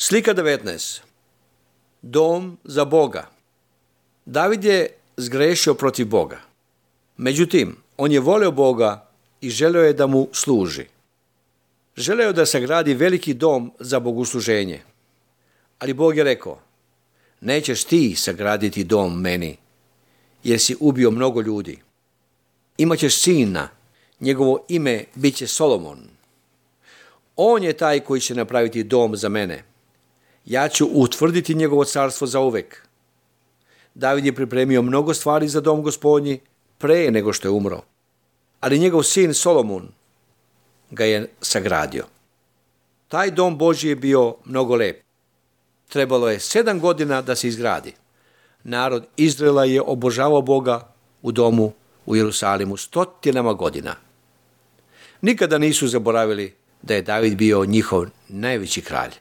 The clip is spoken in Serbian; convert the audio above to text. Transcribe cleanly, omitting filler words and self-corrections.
Slika 19. Dom za Boga. David je zgrešio protiv Boga. Međutim, on je voleo Boga i želeo je da mu služi. Želeo je da sagradi veliki dom za bogosluženje. Ali Bog je rekao, nećeš ti sagraditi dom meni, jer si ubio mnogo ljudi. Imaćeš sina, njegovo ime bit će Solomon. On je taj koji će napraviti dom za mene. Ja ću utvrditi njegovo carstvo zauvek. David je pripremio mnogo stvari za dom Gospodnji pre nego što je umro. Ali njegov sin Solomon ga je sagradio. Taj dom Božji je bio mnogo lep. Trebalo je 7 godina da se izgradi. Narod Izraela je obožavao Boga u domu u Jerusalimu 100 godina. Nikada nisu zaboravili da je David bio njihov najveći kralj.